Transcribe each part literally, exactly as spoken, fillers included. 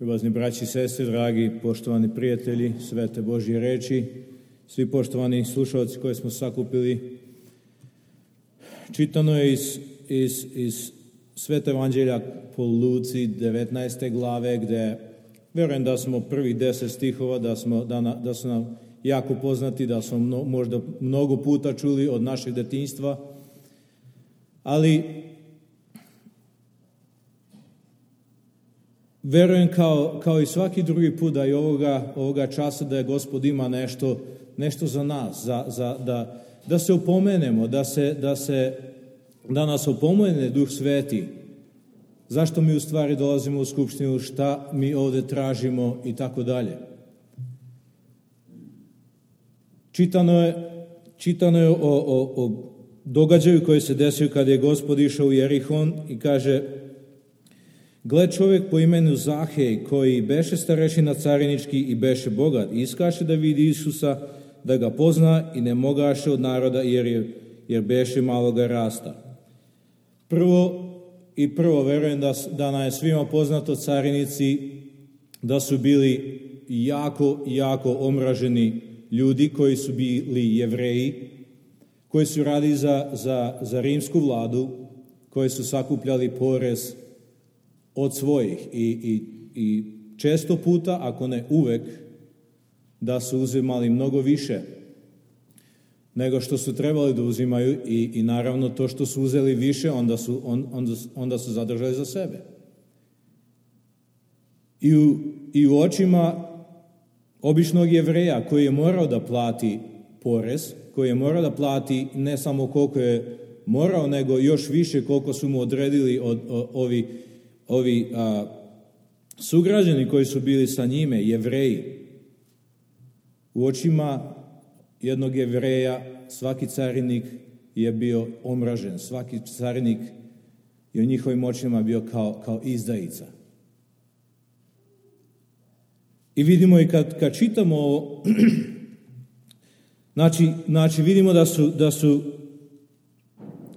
Ljubazni braći i sestre, dragi poštovani prijatelji svete Božje reči, svi poštovani slušalci koje smo sakupili, čitano je iz, iz, iz Svete evanđelja po Luci devetnaeste glave, gde vjerujem da smo prvih deset stihova, da, smo, da, na, da su nam jako poznati, da smo mno, možda mnogo puta čuli od našeg detinjstva, ali verujem kao, kao i svaki drugi put da i ovoga, ovoga časa da je Gospod ima nešto, nešto za nas, za, za, da, da se opomenemo, da, se, da, se, da nas opomene Duh Sveti, zašto mi u stvari dolazimo u skupštinu, šta mi ovdje tražimo i tako dalje. Čitano je, čitano je o, o, o događaju koji se desio kada je Gospod išao u Jerihon i kaže: gle, čovjek po imenu Zahej, koji beše starešina carinički i beše bogat, iskaše da vidi Isusa, da ga pozna i ne mogaše od naroda jer, je, jer beše maloga rasta. Prvo i prvo verujem da, da nam je svima poznato carinici da su bili jako, jako omraženi ljudi koji su bili Jevreji, koji su radili za, za, za rimsku vladu, koji su sakupljali porez od svojih i, i, i često puta, ako ne uvek, da su uzimali mnogo više nego što su trebali da uzimaju i, i naravno to što su uzeli više, onda su, on, onda, onda su zadržali za sebe. I u, i u očima običnog Jevreja koji je morao da plati porez, koji je morao da plati ne samo koliko je morao, nego još više koliko su mu odredili od, od, ovi Ovi a, sugrađani koji su bili sa njime, Jevreji. U očima jednog Jevreja svaki carinik je bio omražen, svaki carinik je u njihovim očima bio kao, kao izdajica. I vidimo i kad, kad čitamo ovo, znači, znači vidimo da su, da su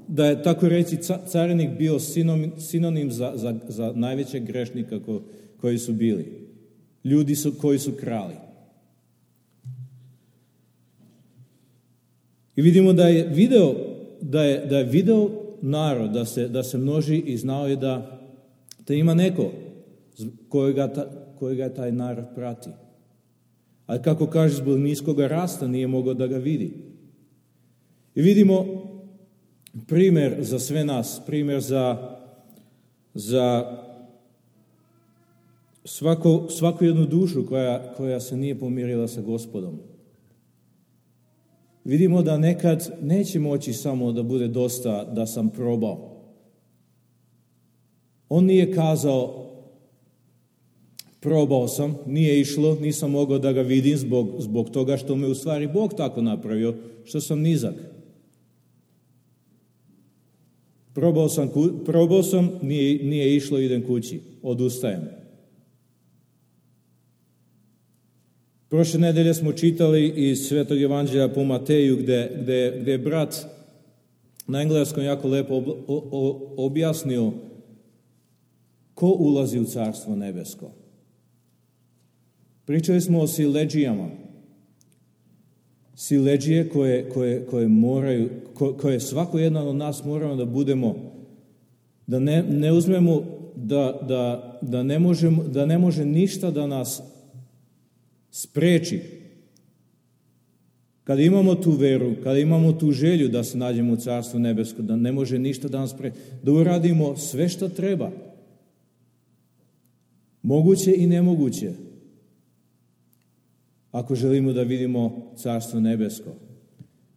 da je, tako reći, carinik bio sinonim, sinonim za, za, za najvećeg grešnika ko, koji su bili. Ljudi su, koji su krali. I vidimo da je video, da je, da je video narod, da se, da se množi i znao je da, da ima neko kojega, ta, kojega taj narod prati. Ali kako kaže, zbog niskoga rasta nije mogao da ga vidi. I vidimo primjer za sve nas, primjer za, za svako, svaku jednu dušu koja, koja se nije pomirila sa Gospodom. Vidimo da nekad neće moći samo da bude dosta da sam probao. On nije kazao probao sam, nije išlo, nisam mogao da ga vidim zbog, zbog toga što me u stvari Bog tako napravio, što sam nizak. Probao sam, probao sam nije, nije išlo, idem kući, odustajem. Prošle nedelje smo čitali iz Svetog evanđelja po Mateju, gde, gde, gde je brat na engleskom jako lepo ob, o, objasnio ko ulazi u Carstvo nebesko. Pričali smo o siledžijama. Siledžije koje, koje, koje moraju, koje svako jedan od nas moramo da budemo, da ne, ne uzmemo, da, da, da, ne možemo, da ne može ništa da nas spreči. Kada imamo tu veru, kada imamo tu želju da se nađemo u Carstvu nebesko, da ne može ništa da nas spreči, da uradimo sve što treba. Moguće i nemoguće. Ako želimo da vidimo Carstvo nebesko.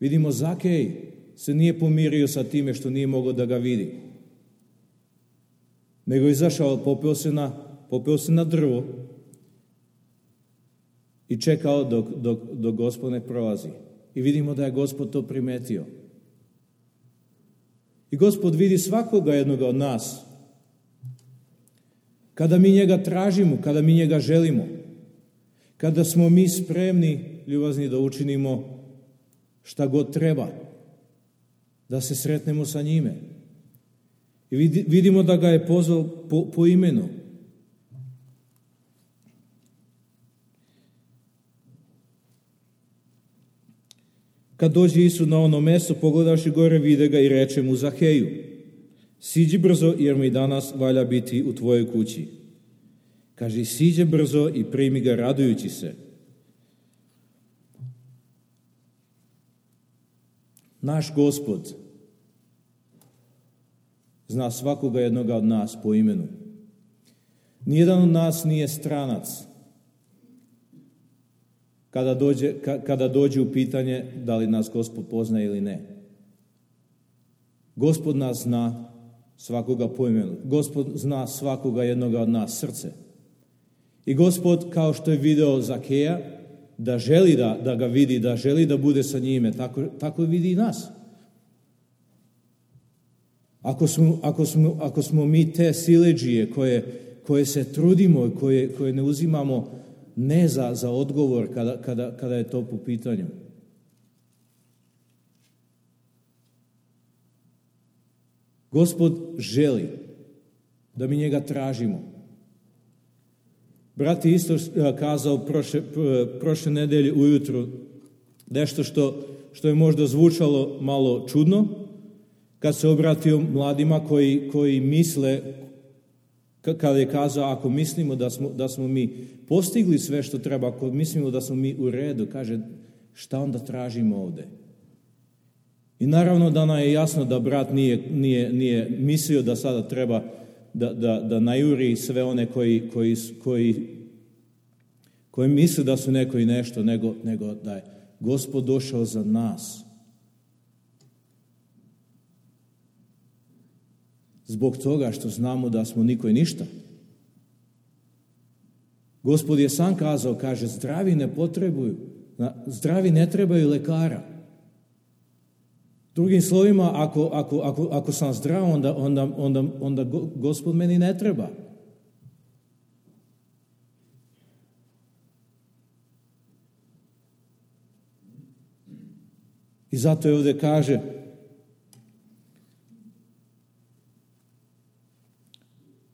Vidimo, Zakej se nije pomirio sa time što nije mogao da ga vidi. Nego je izašao, popeo se na, popeo se na drvo i čekao dok, dok, dok Gospod ne prolazi. I vidimo da je Gospod to primetio. I Gospod vidi svakoga jednoga od nas. Kada mi njega tražimo, kada mi njega želimo, kada smo mi spremni, ljubazni, da učinimo šta god treba, da se sretnemo sa njime. I vidimo da ga je pozvao po, po imenu. Kad dođe Isus na ono mesto, pogledavši gore, vide ga i reče mu Zaheju, siđi brzo, jer mi danas valja biti u tvojoj kući. Kaže, siđe brzo i primi ga radujući se. Naš Gospod zna svakoga jednoga od nas po imenu. Nijedan od nas nije stranac kada dođe, kada dođe u pitanje da li nas Gospod poznaje ili ne. Gospod nas zna svakoga po imenu. Gospod zna svakoga jednoga od nas srce. I Gospod, kao što je video Zakeja, da želi da, da ga vidi, da želi da bude sa njime, tako, tako vidi i nas. Ako smo, ako smo, ako smo mi te siledžije koje, koje se trudimo, koje, koje ne uzimamo ne za, za odgovor kada, kada, kada je to po pitanju. Gospod želi da mi njega tražimo. Brat je isto kazao prošle, prošle nedelje ujutru nešto što, što je možda zvučalo malo čudno, kad se obratio mladima koji, koji misle, kada je kazao, ako mislimo da smo, da smo mi postigli sve što treba, ako mislimo da smo mi u redu, kaže, šta onda tražimo ovde? I naravno da nam je jasno da brat nije, nije, nije mislio da sada treba da, da, da najuri sve one koji, koji, koji, koji misle da su neko i nešto, nego, nego da je Gospod došao za nas. Zbog toga što znamo da smo niko i ništa. Gospod je sam kazao, kaže, zdravi ne potrebuju, zdravi ne trebaju lekara. Drugim slovima, ako, ako, ako, ako sam zdrav, onda, onda, onda, onda Gospod meni ne treba. I zato je ovdje kaže,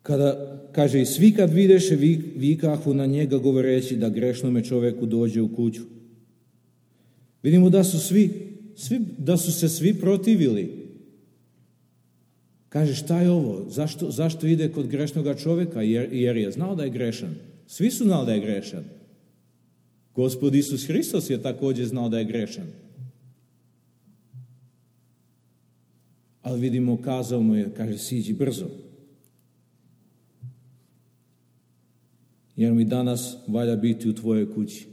kada, kaže, i svi kad videše vikahu na njega govoreći da grešnome čoveku dođe u kuću. Vidimo da su svi, svi da su se svi protivili. Kaže, šta je ovo? Zašto, zašto ide kod grešnoga čoveka? Jer, jer je znao da je grešan. Svi su znali da je grešan. Gospod Isus Hristos je također znao da je grešan. Ali vidimo, kazao mu je, kaže, siđi brzo. Jer mi danas valja biti u tvojoj kući.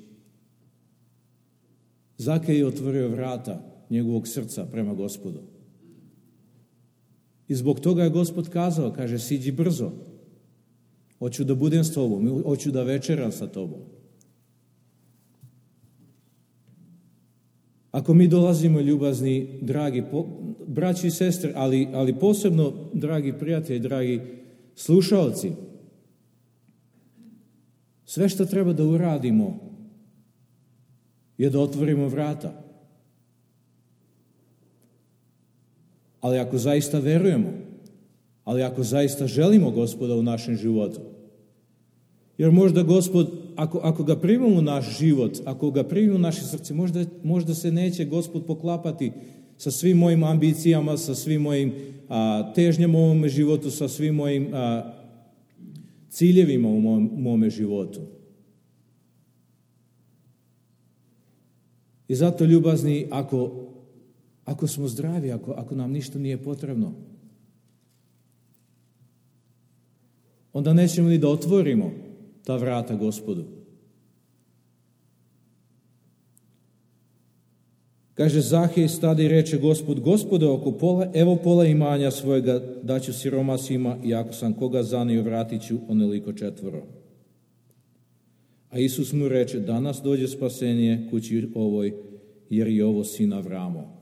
Zakej je otvorio vrata njegovog srca prema Gospodu. I zbog toga je Gospod kazao, kaže, siđi brzo. Hoću da budem s tobom, hoću da večeram sa tobom. Ako mi dolazimo, ljubazni, dragi po, braći i sestre, ali, ali posebno, dragi prijatelji, dragi slušaoci, sve što treba da uradimo je da otvorimo vrata. Ali ako zaista verujemo, ali ako zaista želimo Gospoda u našem životu, jer možda Gospod, ako, ako ga primimo u naš život, ako ga primimo u naše srce, možda, možda se neće Gospod poklapati sa svim mojim ambicijama, sa svim mojim a, težnjama u mome životu, sa svim mojim a, ciljevima u mom, mome životu. I zato, ljubazni, ako, ako smo zdravi, ako, ako nam ništa nije potrebno, onda nećemo ni da otvorimo ta vrata Gospodu. Kaže, Zahej stade i reče, Gospod, Gospode, oko pola, evo pola imanja svojega daću siromasima i ako sam koga zanio, vratit ću onoliko četvoro. A Isus mu reče, danas dođe spasenje kući ovoj, jer je ovo sin Avramo.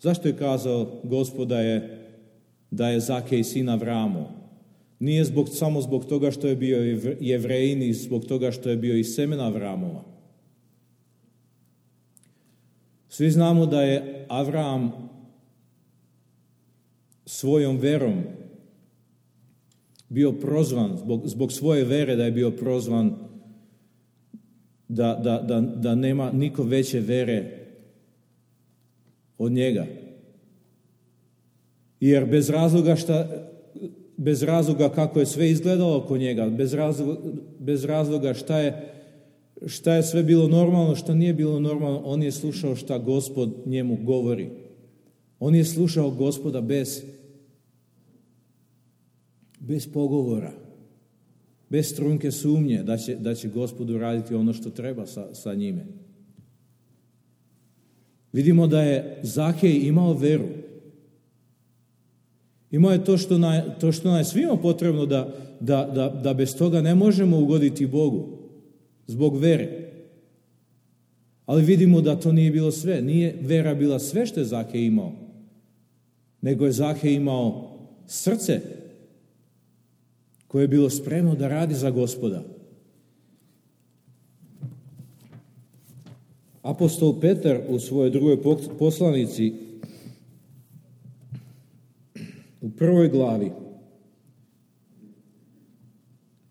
Zašto je kazao Gospod da je, da je Zakej sin Avramo? Nije zbog, samo zbog toga što je bio Jevrejin i zbog toga što je bio iz semena Avramova. Svi znamo da je Avram svojom verom bio prozvan, zbog, zbog svoje vere da je bio prozvan da, da, da, da nema niko veće vere od njega. Jer bez razloga, šta, bez razloga kako je sve izgledalo oko njega, bez razloga, bez razloga šta je, šta je sve bilo normalno, šta nije bilo normalno, on je slušao šta Gospod njemu govori. On je slušao Gospoda bez, bez pogovora, bez trunke sumnje da će, da će Gospod uraditi ono što treba sa, sa njime. Vidimo da je Zakej imao veru. Imao je to što, na, to što nam je svima potrebno da, da, da, da bez toga ne možemo ugoditi Bogu, zbog vere. Ali vidimo da to nije bilo sve. Nije vera bila sve što je Zakej imao, nego je Zakej imao srce koje je bilo spremno da radi za Gospoda. Apostol Petar u svojoj drugoj poslanici u prvoj glavi,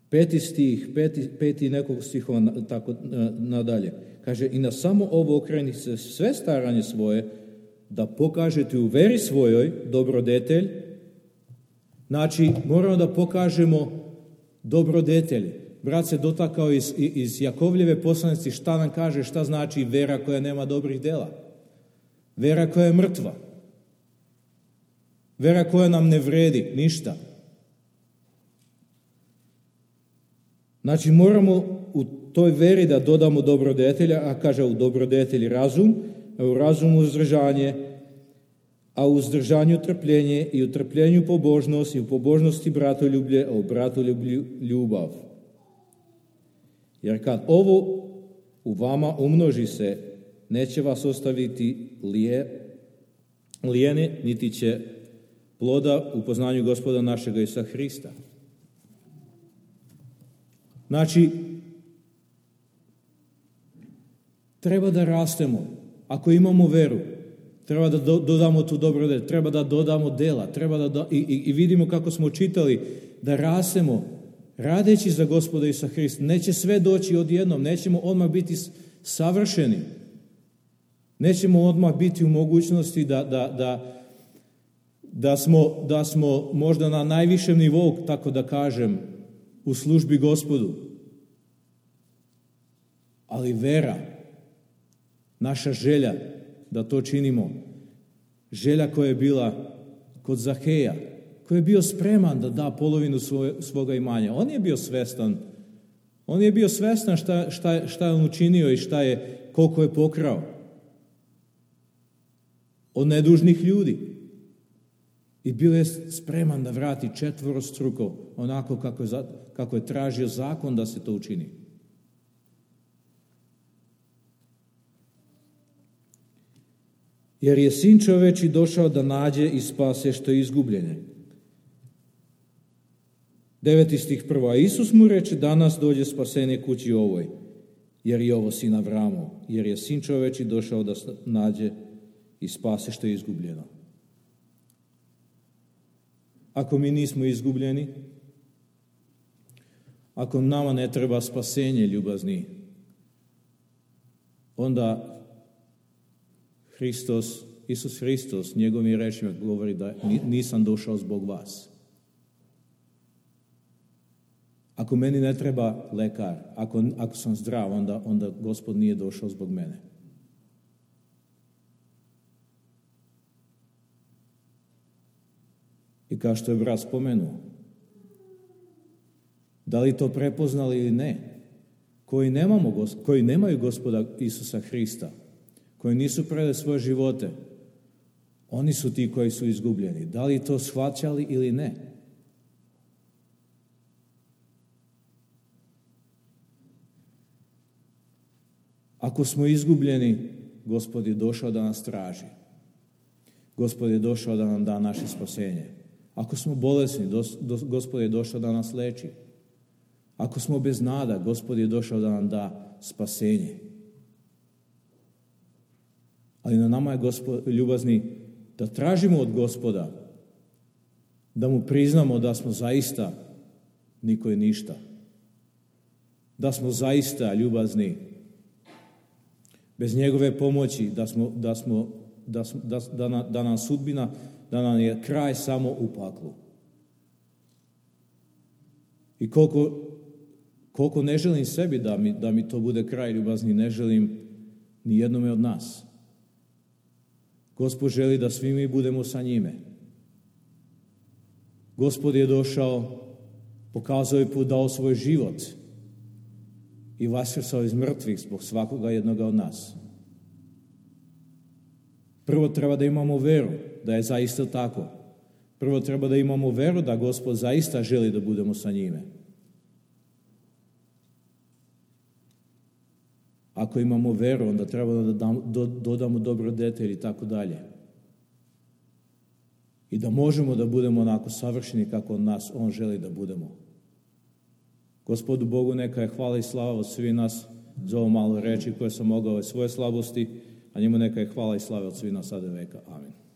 peti stih, peti, peti nekog stihova tako nadalje, kaže: i na samo ovo okrenite se sve staranje svoje, da pokažete u veri svojoj dobrodetelj. Znači, moramo da pokažemo dobrodetelj. Brat se dotakao iz, iz Jakovljeve poslanici šta nam kaže, šta znači vera koja nema dobrih dela. Vera koja je mrtva. Vera koja nam ne vredi ništa. Znači, moramo u toj veri da dodamo dobrodetelja, a kaže u dobrodetelj razum, a u razumu uzdržanje, a u uzdržanju trpljenje, i u trpljenju pobožnost, i u pobožnosti bratoljublje, a u bratoljublju ljubav. Jer kad ovo u vama umnoži se, neće vas ostaviti lije, lijene, niti će ploda u poznanju Gospoda našega Isusa Hrista. Znači, treba da rastemo. Ako imamo veru, treba da dodamo tu dobrodelj, treba da dodamo dela, treba da do, i, i vidimo kako smo čitali, da rastemo radeći za Gospoda Isusa Hrista. Neće sve doći odjednom, nećemo odmah biti savršeni. Nećemo odmah biti u mogućnosti da, da, da, da, smo, da smo možda na najvišem nivou, tako da kažem, u službi Gospodu. Ali vera, naša želja da to činimo, želja koja je bila kod Zakeja, koji je bio spreman da da polovinu svoje, svoga imanja. On je bio svestan, on je bio svestan šta, šta, šta je on učinio i šta je, koliko je pokrao od nedužnih ljudi. I bio je spreman da vrati četvorostruko, onako kako je, kako je tražio zakon da se to učini. Jer je Sin čoveči došao da nađe i spase što je izgubljene. Deveti stih prvo. A Isus mu reče: danas dođe spasenje kući ovoj, jer je ovo sin Avramov, jer je Sin čoveči došao da nađe i spase što je izgubljeno. Ako mi nismo izgubljeni, ako nama ne treba spasenje, ljubazni, onda Hristos, Isus Hristos, njegovim rečima govori da nisam došao zbog vas. Ako meni ne treba lekar, ako, ako sam zdrav, onda, onda Gospod nije došao zbog mene. I kao što je brat spomenuo, da li to prepoznali ili ne, koji, nemamo, koji nemaju Gospoda Isusa Hrista, koji nisu predali svoje živote, oni su ti koji su izgubljeni. Da li to shvaćali ili ne? Ako smo izgubljeni, Gospod je došao da nas traži. Gospod je došao da nam da naše spasenje. Ako smo bolesni, Gospod je došao da nas leči. Ako smo bez nada, Gospod je došao da nam da spasenje. Ali na nama je, Gospod, ljubazni, da tražimo od Gospoda, da mu priznamo da smo zaista niko i ništa. Da smo zaista ljubazni bez njegove pomoći, da smo, da smo da, da, da, da nam sudbina, da nam je kraj samo u paklu. I koliko, koliko ne želim sebi da mi, da mi to bude kraj ljubazni, ne želim ni jednome od nas. Gospod želi da svi mi budemo sa njime. Gospod je došao, pokazao je put, dao svoj život i vaskrsao iz mrtvih zbog svakoga jednoga od nas. Prvo treba da imamo veru da je zaista tako. Prvo treba da imamo veru da Gospod zaista želi da budemo sa njime. Ako imamo veru, onda treba da dam, do, dodamo dobrodetelj i tako dalje. I da možemo da budemo onako savršeni kako od nas On želi da budemo. Gospodu Bogu neka je hvala i slava od svih nas za ovo malo reči koje sam mogao svoje slabosti, a njemu neka je hvala i slava od svih nas sada veka. Amin.